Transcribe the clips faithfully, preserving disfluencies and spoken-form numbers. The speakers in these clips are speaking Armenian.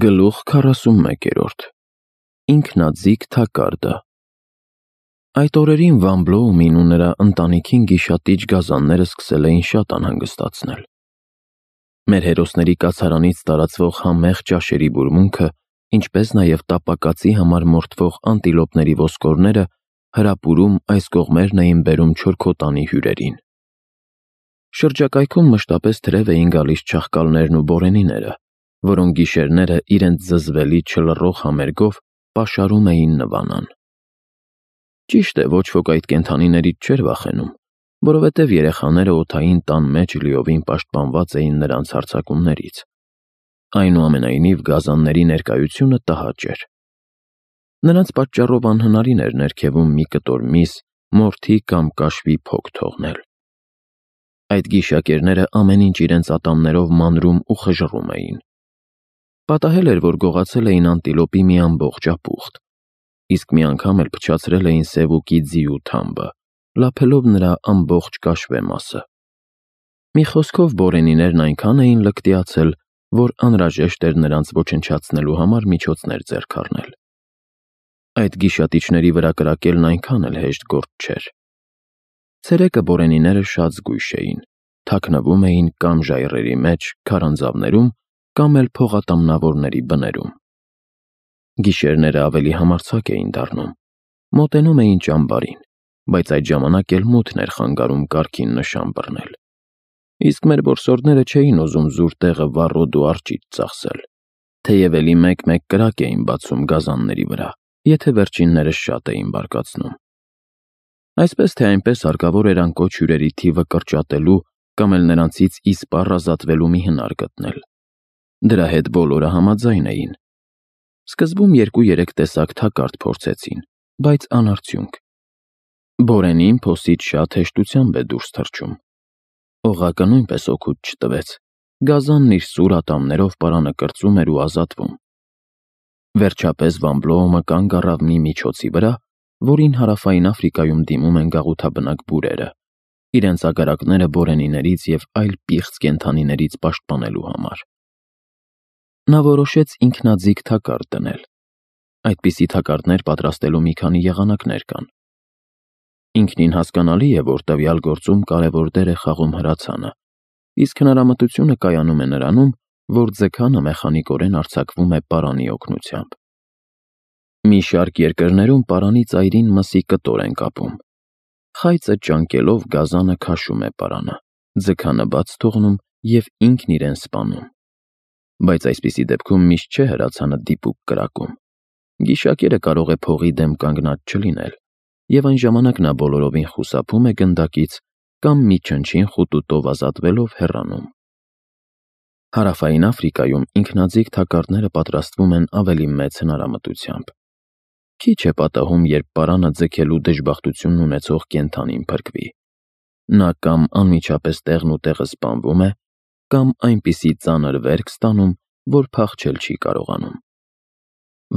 Գլուխ քառասունմեկերորդ Ինքնաձիգ թակարդը Այդ օրերին Վան Բլոումին ու նրա ընտանիքին գիշատիչ գազանները սկսել էին շատ անհանգստացնել։ Մեր հերոսների կացարանից տարածվող համեղ ճաշերի բուրմունքը, ինչպես նաև տապակածի համար մորթվող անտիլոպների ոսկորները հրապուրում այս կողմերն էին բերում չորքոտանի հյուրերին։ Շրջակայքում մշտապես թրև էին գալիս չաղկալներն ու բորենիները, որոնք գիշերները իրենց զզվելի չլռող համերգով պաշարում էին Նվանան։ Ճիշտ է, ոչ ոք այդ կենդանիներից չէր վախենում, որովհետև երեխաները օդային տան մեջ լիովին պաշտպանված էին նրանց հարձակումներից։ Այնուամենայնիվ գազանների ներկայությունը տհաճ էր։ Նրանց պատճառով անհնարին էր ներքևում մի կտոր միս, մորթի կամ կաշվի փոք թողնել։ Այդ գիշակերները ամեն ինչ իրենց ատամներով մանրում ու խժռում էին։ Պատահել էր, որ գողացել էին անտիլոպի մի ամբողջ ապուխտ, իսկ մի անգամ էլ փչացրել էին սևուկի ձիու թամբը, լափելով նրա ամբողջ կաշվե մասը։ Մի խոսքով բորենիներն այնքան էին լկտիացել, որ անհրաժեշտ էր նրանց ոչնչացնելու համար միջոցներ ձեռք առնել։ Այդ գիշատիչների վրա կրակելն այնքան էլ հեշտ գործ չէր։ Ցերեկը բորենիները շատ զգույշ էին, թաքնվում էին կամ ժայռերի մեջ, քարանձավներում, կամ էլ փողատամնավորների բներում։ Գիշերները ավելի համարձակ էին դառնում, մոտենում էին ճամբարին, բայց այդ ժամանակ էլ մութն էր խանգարում կարգին նշան բռնել։ Իսկ մեր որսորդները չէին ուզում զուր տեղը վառոդ ու արճիճ ծախսել, թեև էլի մեկ-մեկ կրակ էին բացում գազանների վրա, եթե վերջիններս շատ էին բարկացնում։ Այսպես թե այնպես հարկավոր էր անկոչ հյուրերի թիվը կրճատելու կամ էլ նրանցից իսպառ ազատվելու մի հնար գտնել։ Դրա հետ բոլորը համաձայն էին։ Սկզբում երկու-երեք տեսակ թակարդ փորձեցին, բայց անարդյունք։ Բորենին փոսից շատ հեշտությամբ է դուրս թռչում։ Օղակը նույնպես օգուտ չտվեց։ Գազանն իր սուր ատամներով պարանը կրծում էր ու ազատվում։ Վերջապես Վան Բլոումը կանգ առավ մի միջոցի վրա, որին Հարավային Աֆրիկայում դիմում են գաղութաբնակ բուրերը, իրենց ագարակները բորենիներից և այլ պիղծ կենդանիներից պաշտպանելու համար։ Նա որոշեց ինքնաձիգ թակարդ դնել։ Այդպիսի թակարդներ պատրաստելու մի քանի եղանակներ կան։ Ինքնին հասկանալի է, որ տվյալ գործում կարևոր դեր է խաղում հրացանը, իսկ հնարամտությունը կայանում է նրանում, որ ձգանը մեխանիկորեն արձակվում է պարանի օգնությամբ։ Մի շարք երկրներում պարանի ծայրին մսի կտոր են կապում։ Խայծը ճանկելով գազանը քաշում է պարանը, ձգանը բաց թողնում և ինքն իրեն սպանում։ Բայց այսպիսի դեպքում միշտ չէ հրացանը դիպուկ կրակում։ Գիշակերը կարող է փողի դեմ կանգնած չլինել, և այն ժամանակ նա բոլորովին խուսափում է գնդակից կամ մի չնչին խուտուտով ազատվելով հեռանում։ Հարավային Աֆրիկայում ինքնաձիգ թակարդները պատրաստվում են ավելի մեծ հնարամտությամբ։ Քիչ է պատահում, երբ պարանը ձգելու դժբախտությունն ունեցող կենդանին փրկվի։ Նա կամ անմիջապես տեղն ու տեղը սպանվում է, կամ այնպիսի ծանր վերք ստանում, որ փախչել չի կարողանում։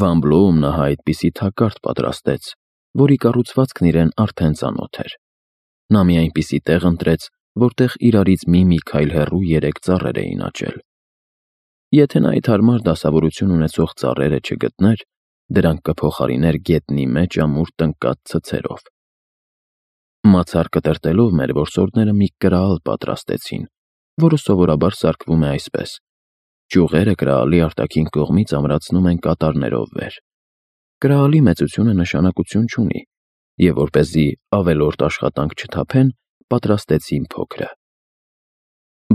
Վան Բլոումն ահա այդպիսի թակարդ պատրաստեց, որի կառուցվածքն իրեն արդեն ծանոթ էր։ Նա մի այնպիսի տեղ ընտրեց, որտեղ իրարից մի-մի քայլ հեռու երեք ծառեր էին աճել։ Եթե նա այդ հարմար դասավորություն ունեցող ծառերը չգտներ, դրանք կփոխարիներ գետնի մեջ ամուր տնկած ցցերով։ Մացար կտրտելով մեր որսորդները մի կրալ պատրաստեցին, որը սովորաբար սարքվում է այսպես. ճյուղերը կրալի արտաքին կողմից ամրացնում են կատարներով վեր։ Կրալի մեծությունը նշանակություն չունի, և որպեսզի ավելորդ աշխատանք չթափեն, պատրաստեցին փոքրը։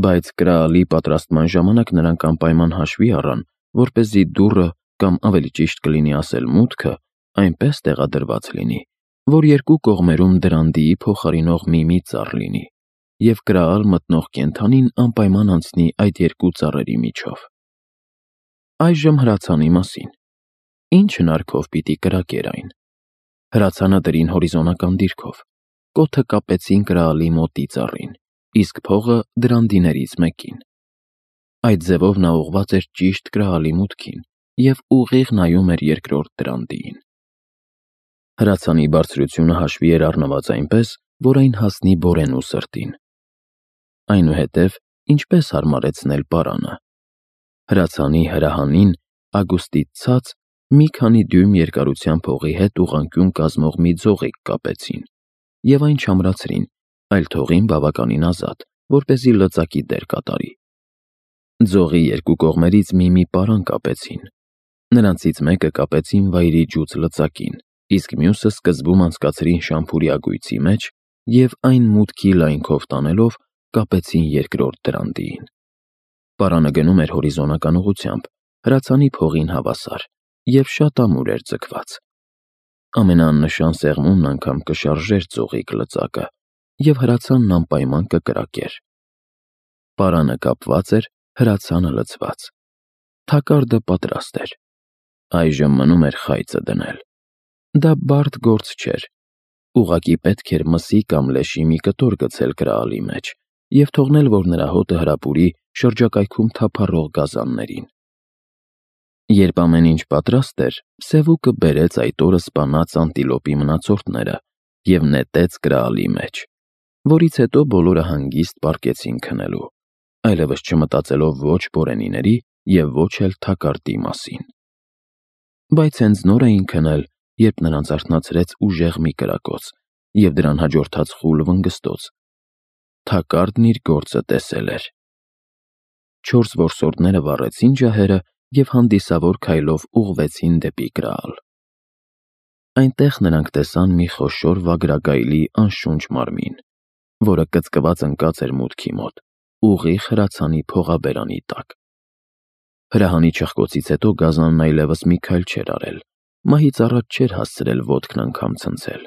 Բայց կրալի պատրաստման ժամանակ նրանք անպայման հաշվի առան, որպեսզի դուռը, կամ ավելի ճիշտ կլինի ասել մուտքը, այնպես տեղադրված լինի, որ երկու կողմերում դրանդիի փոխարինող մի-մի ծառ լինի, և կրալ մտնող կենդանին անպայման անցնի այդ երկու ծառերի միջով։ Այժմ հրացանի մասին։ Ինչ հնարքով պիտի կրակեր այն։ Հրացանը դրին հորիզոնական դիրքով, կոթը կապեցին կրալի մոտի ծառին, իսկ փողը դրանդիներից մեկին։ Այդ ձևով նա ուղղված էր ճիշտ կրալի մուտքին և ուղիղ նայում էր երկրորդ դրանդիին։ Հրացանի բարձրությունը հաշվի էր առնված այնպես, որ այն հասնի բորենու սրտին։ Այնուհետև ինչպես հարմարեցնել պարանը։ Հրացանի հրահանին ագուստից ցած մի քանի դյույմ երկարությամբ հողի հետ ուղղանկյուն կազմող մի ձողիկ կապեցին և այն չամրացրին, այլ թողին բավականին ազատ, որպեսզի լծակի դեր կատարի։ Ձողի երկու կողմերից մի-մի պարան կապեցին։ Նրանցից մեկը կապեցին վայրի ջուց լծակին, իսկ մյուսը սկզբում անցկացրին շամփուրի ագույցի մեջ և այն մուտքի լայնքով տանելով կապեցին երկրորդ դրանդիին։ Պարանը գնում էր հորիզոնական ուղղությամբ, հրացանի փողին հավասար, և շատ ամուր էր ձգված։ Ամենաաննշան սեղմումն անգամ կշարժեր ձողիկ լծակը, և հրացանն անպայման կկրակեր։ Պարանը կապված էր, հրացանը լցված։ Թակարդը պատրաստ էր։ Այժմ մնում էր խայծը դնել։ Դա բարդ գործ չէր։ Ուղղակի պետք էր մսի կամ լեշի մի կտոր գցել կրահալի մեջ և թողնել, որ նրա հոտը հրապուրի շրջակայքում թափառող գազաններին։ Երբ ամեն ինչ պատրաստ էր, Սևուկը բերեց այդ օրը սպանած անտիլոպի մնացորդները և նետեց կրահալի մեջ, որից հետո բոլորը հանգիստ պառկեցին քնելու, այլևս չմտածելով ոչ Բորենիների և ոչ էլ Թակարդի մասին։ Բայց հենց նոր էին քնել, երբ նրանց արթնացրեց ուժեղ մի կրակոց և դրան հաջորդած խուլ վնգստոց. Թակարդն իր գործը տեսել էր։ Չորս որսորդները վառեցին ջահերը և հանդիսավոր քայլով ուղղվեցին դեպի կրահալ։ Այնտեղ նրանք տեսան մի խոշոր վագրագայլի անշունչ մարմին, որը կծկված ընկած էր մուտքի մոտ, ուղիղ հրացանի փողաբերանի տակ։ Հրահանի չխկոցից հետո գազանն այլևս մի քայլ չէր արել, մահից առաջ չէր հասցրել ոտքն անգամ ցնցել։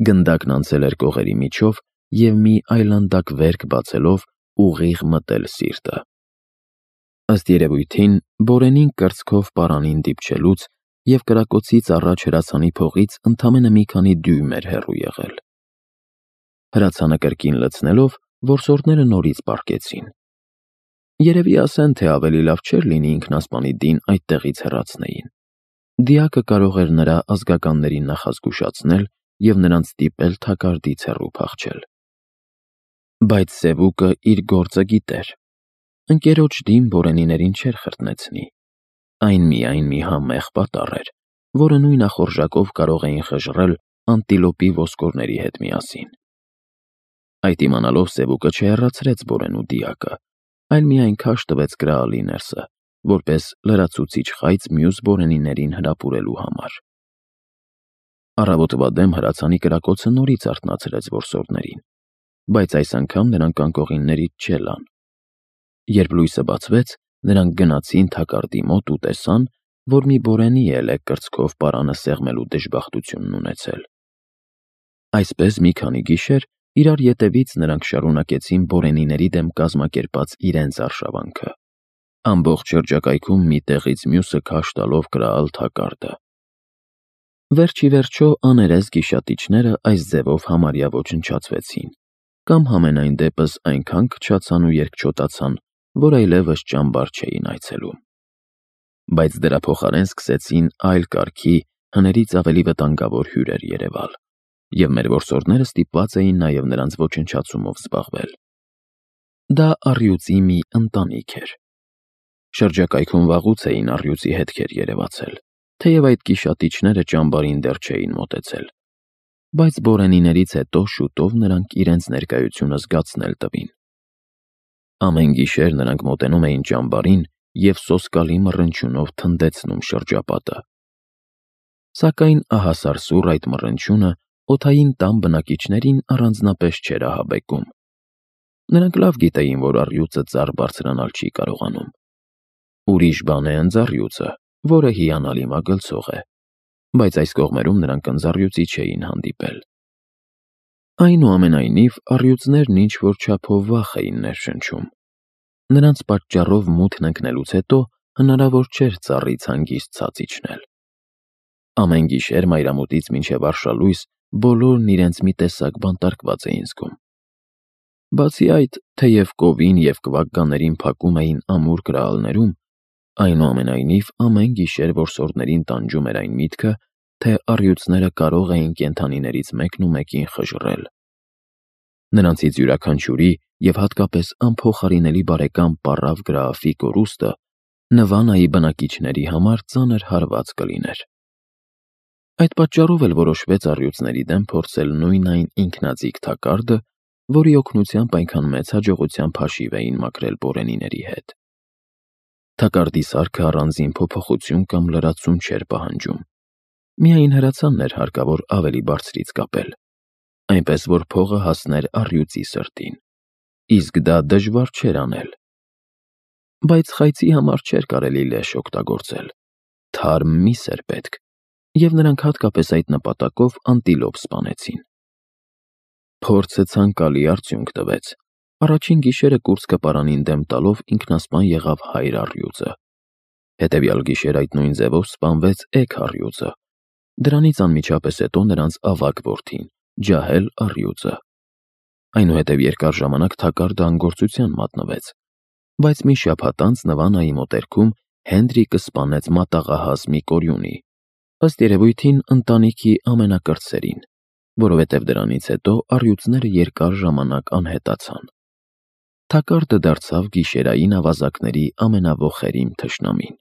Գնդակն անցել էր կողերի միջով և մի այլանդակ վերք բացելով ուղիղ մտել սիրտը։ Ըստ երևույթին, Բորենին կրծքով պարանին դիպչելուց և կրակոցից առաջ հրացանի փողից ընդամենը մի քանի դյույմ էր հեռու եղել։ Հրացանը կրկին լցնելով, որսորդները նորից պառկեցին։ Երևի ասեն, թե ավելի լավ չէր լինի ինքնասպանի դին այդտեղից հեռացնեին։ Դիակը կարող էր նրա ազգականներին նախազգուշացնել և նրանց ստիպել Թակարդից հեռու փախչել։ Բայց Սևուկը իր գործը գիտեր։ Ընկերոջ դին Բորենիներին չէր խրտնեցնի։ Այն միայն մի համեղ պատառ էր, որը նույն ախորժակով կարող էին խժռել անտիլոպի ոսկորների հետ միասին։ Այդ իմանալով Սևուկը չհեռացրեց Բորենու դիակը, այլ միայն քաշ տվեց կրահալի ներսը, որպես լրացուցիչ խայծ մյուս Բորենիներին հրապուրելու համար։ Առավոտվա դեմ հրացանի կրակոցը նորից արթնացրեց որսորդներին, բայց այս անգամ նրանք անկողիններից չելան։ Երբ լույսը բացվեց, նրանք գնացին Թակարդի մոտ ու տեսան, որ մի Բորենի էլ է կրծքով պարանը սեղմելու դժբախտությունն ունեցել։ Այսպես մի քանի գիշեր իրար ետևից նրանք շարունակեցին Բորենիների դեմ կազմակերպած իրենց արշավանքը, ամբողջ շրջակայքում մի տեղից մյուսը քաշ տալով կրահալ Թակարդը։ Վերջ ի վերջո աներես գիշատիչները այս ձևով համարյա ոչնչացվեցին, կամ համենայն դեպս այնքան քչացան ու երկչոտացան, որ այլևս ճամբար չէին այցելում։ Բայց դրա փոխարեն սկսեցին այլ կարգի, հներից ավելի վտանգավոր հյուրեր երևալ, և մեր որսորդները ստիպված էին նաև նրանց ոչնչացումով զբաղվել։ Դա առյուծի մի ընտանիք էր։ Շրջակայքում վաղուց էին առյուծի հետքեր երևացել, թեև այդ գիշատիչները ճամբարին դեռ չէին մոտեցել, բայց Բորենիներից հետո շուտով նրանք իրենց ներկայությունը զգացնել տվին։ Ամեն գիշեր նրանք մոտենում էին ճամբարին և սոսկալի մռնչյունով թնդեցնում շրջապատը։ Սակայն ահասարսուռ այդ մռնչյունը օդային տան բնակիչներին առանձնապես չէր ահաբեկում։ Նրանք լավ գիտեին, որ առյուծը ծառ բարձրանալ չի կարողանում։ Ուրիշ բան է ընձառյուծը, որը հիանալի մագլցող է, բայց այս կողմերում նրանք ընձառյուծի չէին հանդիպել։ Այնուամենայնիվ, առյուծներն ինչ-որ չափով վախ էին ներշնչում։ Նրանց պատճառով մութն ընկնելուց հետո հնարավոր չէր ծառից հանգիստ ցած իջնել։ Ամեն գիշեր մայրամուտից մինչև արշալույս բոլորն իրենց մի տեսակ բանտարկված էին զգում։ Բացի այդ, թեև կովին և կվակկաներին փակում էին ամուր կրահալներում, այնուամենայնիվ ամեն գիշեր որսորդներին տանջում էր այն միտքը, թե առյուծները կարող էին կենդանիներից մեկն ու մեկին խժռել։ Նրանցից յուրաքանչյուրի և հատկապես անփոխարինելի բարեկամ պառավ գրաֆի կորուստը Նվանայի բնակիչների համար ծանր հարված կլիներ։ Այդ պատճառով էլ որոշվեց առյուծների դեմ փորձել նույն այն ինքնաձիգ թակարդը, որի օգնությամբ այնքան մեծ հաջողությամբ հաշիվ էին մաքրել բորենիների հետ։ Թակարդի սարքը առանձին փոփոխություն կամ լրացում չէր պահանջում։ Միայն հրացանն էր հարկավոր ավելի բարձրից կապել, այնպես որ փողը հասներ առյուծի սրտին, իսկ դա դժվար չէր անել։ Բայց խայծի համար չէր կարելի լեշ օգտագործել, թարմ միս էր պետք, և նրանք հատկապես այդ նպատակով անտիլոպ սպանեցին։ Փորձը ցանկալի արդյունք տվեց։ Առաջին գիշերը կուրծքը պարանին դեմ տալով ինքնասպան եղավ հայր առյուծը։ Հետևյալ գիշեր այդ նույն ձևով սպանվեց էգ առյուծը։ Դրանից անմիջապես հետո նրանց ավագ որդին՝ ջահել առյուծը։ Այնուհետև երկար ժամանակ թակարդը անգործության մատնվեց, բայց մի շաբաթ անց Նվանայի մոտերքում Հենրիկը սպանեց մատաղահաս մի կորյունի, ըստ երևույթին ընտանիքի ամենակրտսերին, որովհետև դրանից հետո առյուծները երկար ժամանակ անհետացան։ Թակարդը դարձավ գիշերային ավազակների ամենավոխերիմ թշնամին։